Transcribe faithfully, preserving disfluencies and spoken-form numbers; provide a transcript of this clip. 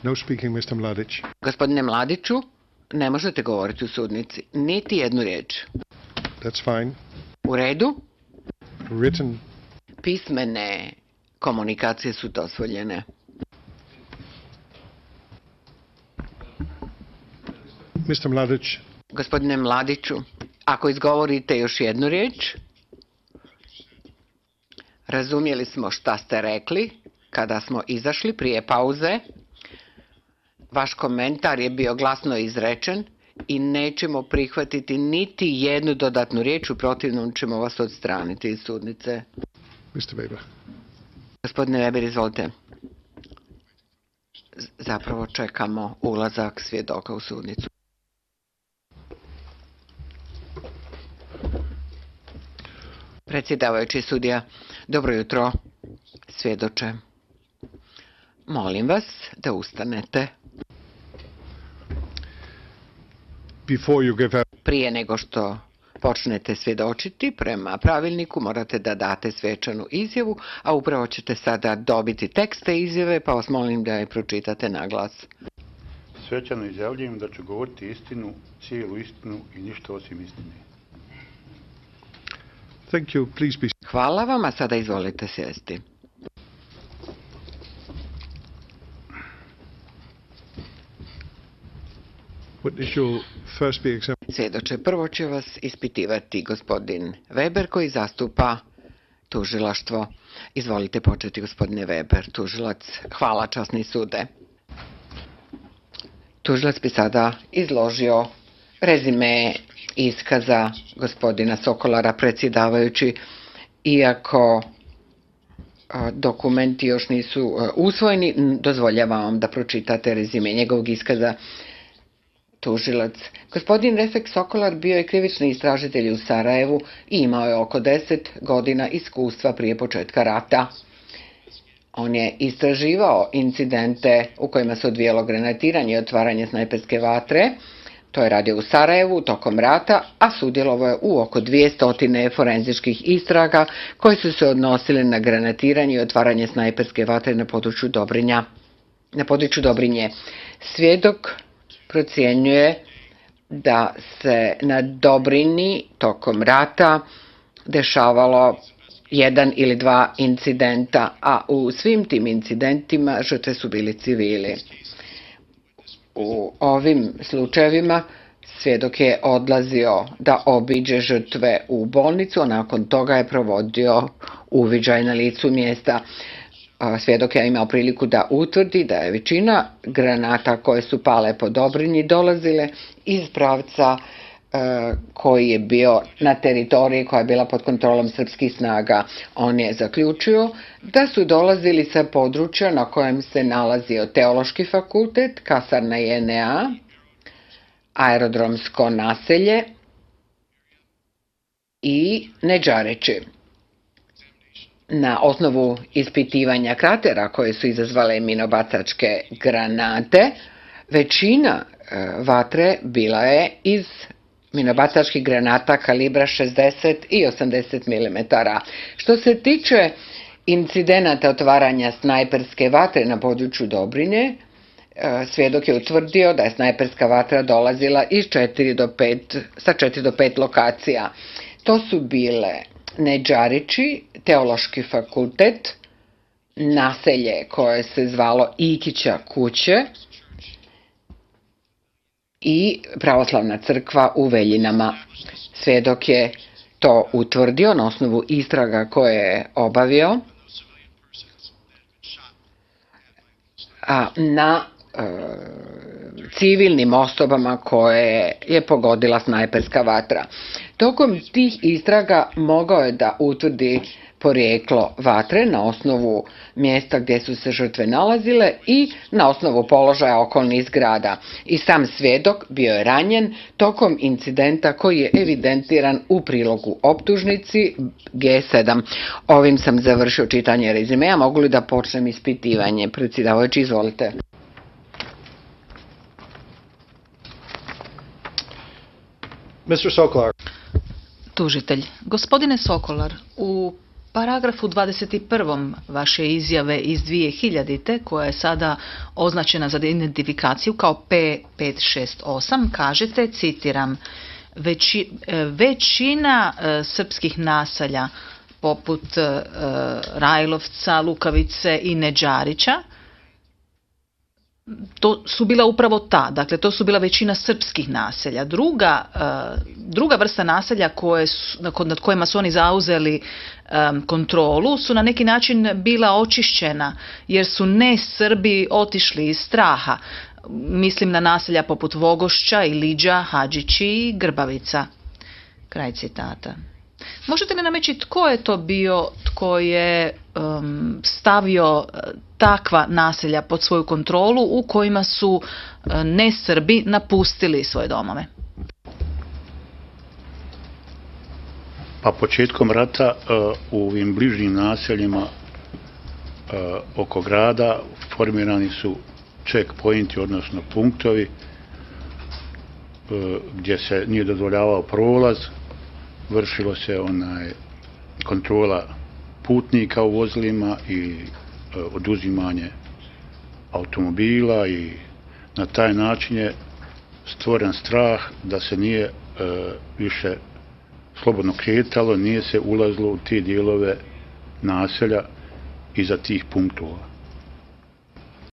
No speaking, mister Mladić. Gospodine Mladiću, ne možete govoriti u sudnici. Niti jednu riječ. That's fine. U redu? Written. Pismene komunikacije su dozvoljene. mister Mladić. Gospodine Mladiću, ako izgovorite još jednu riječ, razumjeli smo šta ste rekli kada smo izašli prije pauze. Vaš komentar je bio glasno izrečen i nećemo prihvatiti niti jednu dodatnu riječ, u protivnom ćemo vas odstraniti iz sudnice. mister Weber. Gospodine Weber, izvolite. Zapravo čekamo ulazak svjedoka u sudnicu. Predsjedavajući sudija, dobro jutro, svjedoče. Molim vas da ustanete. Before you give up... Prije nego što počnete svjedočiti, prema pravilniku morate da date svečanu izjavu, a upravo ćete sada dobiti tekst te izjave, pa vas molim da je pročitate na glas. Svečano izjavljujem da ću govoriti istinu, cijelu istinu i ništa osim istine. Thank you. Please be... Hvala vam, a sada izvolite sjesti. Witness will first be examined. Svjedoče, prvo će vas ispitivati gospodin Weber koji zastupa tužilaštvo. Izvolite početi, gospodine Weber, tužilac. Hvala, časni sude. Tužilac bi sada izložio rezime iskaza gospodina Sokolara, predsjedavajući, iako dokumenti još nisu usvojeni, dozvoljavam vam da pročitate rezime njegovog iskaza. Tužilac. Gospodin Refek Sokolar bio je krivični istražitelj u Sarajevu i imao je oko deset godina iskustva prije početka rata. On je istraživao incidente u kojima se odvijalo granatiranje i otvaranje snajperske vatre. To je radio u Sarajevu tokom rata, a sudjelovao je u oko dvjesto forenzičkih istraga koje su se odnosile na granatiranje i otvaranje snajperske vatre na području Dobrinja. Na području Dobrinje. Svjedok procjenjuje da se na Dobrini tokom rata dešavalo jedan ili dva incidenta, a u svim tim incidentima žrtve su bili civili. U ovim slučajevima svjedok je odlazio da obiđe žrtve u bolnicu, a nakon toga je provodio uviđaj na licu mjesta. Svjedok je imao priliku da utvrdi da je većina granata koje su pale po Dobrinji dolazile iz pravca e, koji je bio na teritoriji koja je bila pod kontrolom srpskih snaga. On je zaključio da su dolazili sa područja na kojem se nalazio Teološki fakultet, kasarna J N A, aerodromsko naselje i Nedžareći. Na osnovu ispitivanja kratera koje su izazvale minobacačke granate, većina vatre bila je iz minobacačkih granata kalibra šezdeset i osamdeset milimetara. Što se tiče incidenata otvaranja snajperske vatre na području Dobrine, svjedok je utvrdio da je snajperska vatra dolazila iz četiri do pet, sa četiri do pet lokacija. To su bile Nedžarići, Teološki fakultet, naselje koje se zvalo Ikića kuće i pravoslavna crkva u Veljinama. Svjedok je to utvrdio na osnovu istraga koje je obavio a na e, civilnim osobama koje je pogodila snajperska vatra. Tokom tih istraga mogao je da utvrdi porijeklo vatre na osnovu mjesta gdje su se žrtve nalazile i na osnovu položaja okolnih zgrada. I sam svjedok bio je ranjen tokom incidenta koji je evidentiran u prilogu optužnici G sedam. Ovim sam završio čitanje rezimea. Mogu li da počnem ispitivanje? Predsjedavajući, izvolite. mister Sokolar. Tužitelj. Gospodine Sokolar, u paragrafu dvadeset jedan. vaše izjave iz dvije hiljadite. koja je sada označena za identifikaciju kao P pet šest osam, kažete, citiram, Veći, većina e, srpskih naselja poput e, Rajlovca, Lukavice i Neđarića, to su bila upravo ta, dakle to su bila većina srpskih naselja. Druga, e, druga vrsta naselja koje su, nad kojima su oni zauzeli e, kontrolu su na neki način bila očišćena jer su ne Srbi otišli iz straha. Mislim na naselja poput Vogošća, Iliđa, Hadžići i Grbavica. Kraj citata. Možete li nam reći tko je to bio tko je um, stavio takva naselja pod svoju kontrolu u kojima su uh, ne Srbi napustili svoje domove? Pa početkom rata uh, u ovim bližnjim naseljima uh, oko grada formirani su checkpointi, odnosno punktovi uh, gdje se nije dozvoljavao prolaz, vršilo se onaj kontrola putnika u vozilima i uh, oduzimanje automobila i na taj način je stvoren strah da se nije uh, više slobodno kretalo, nije se ulazilo u te dijelove naselja iza tih punktova.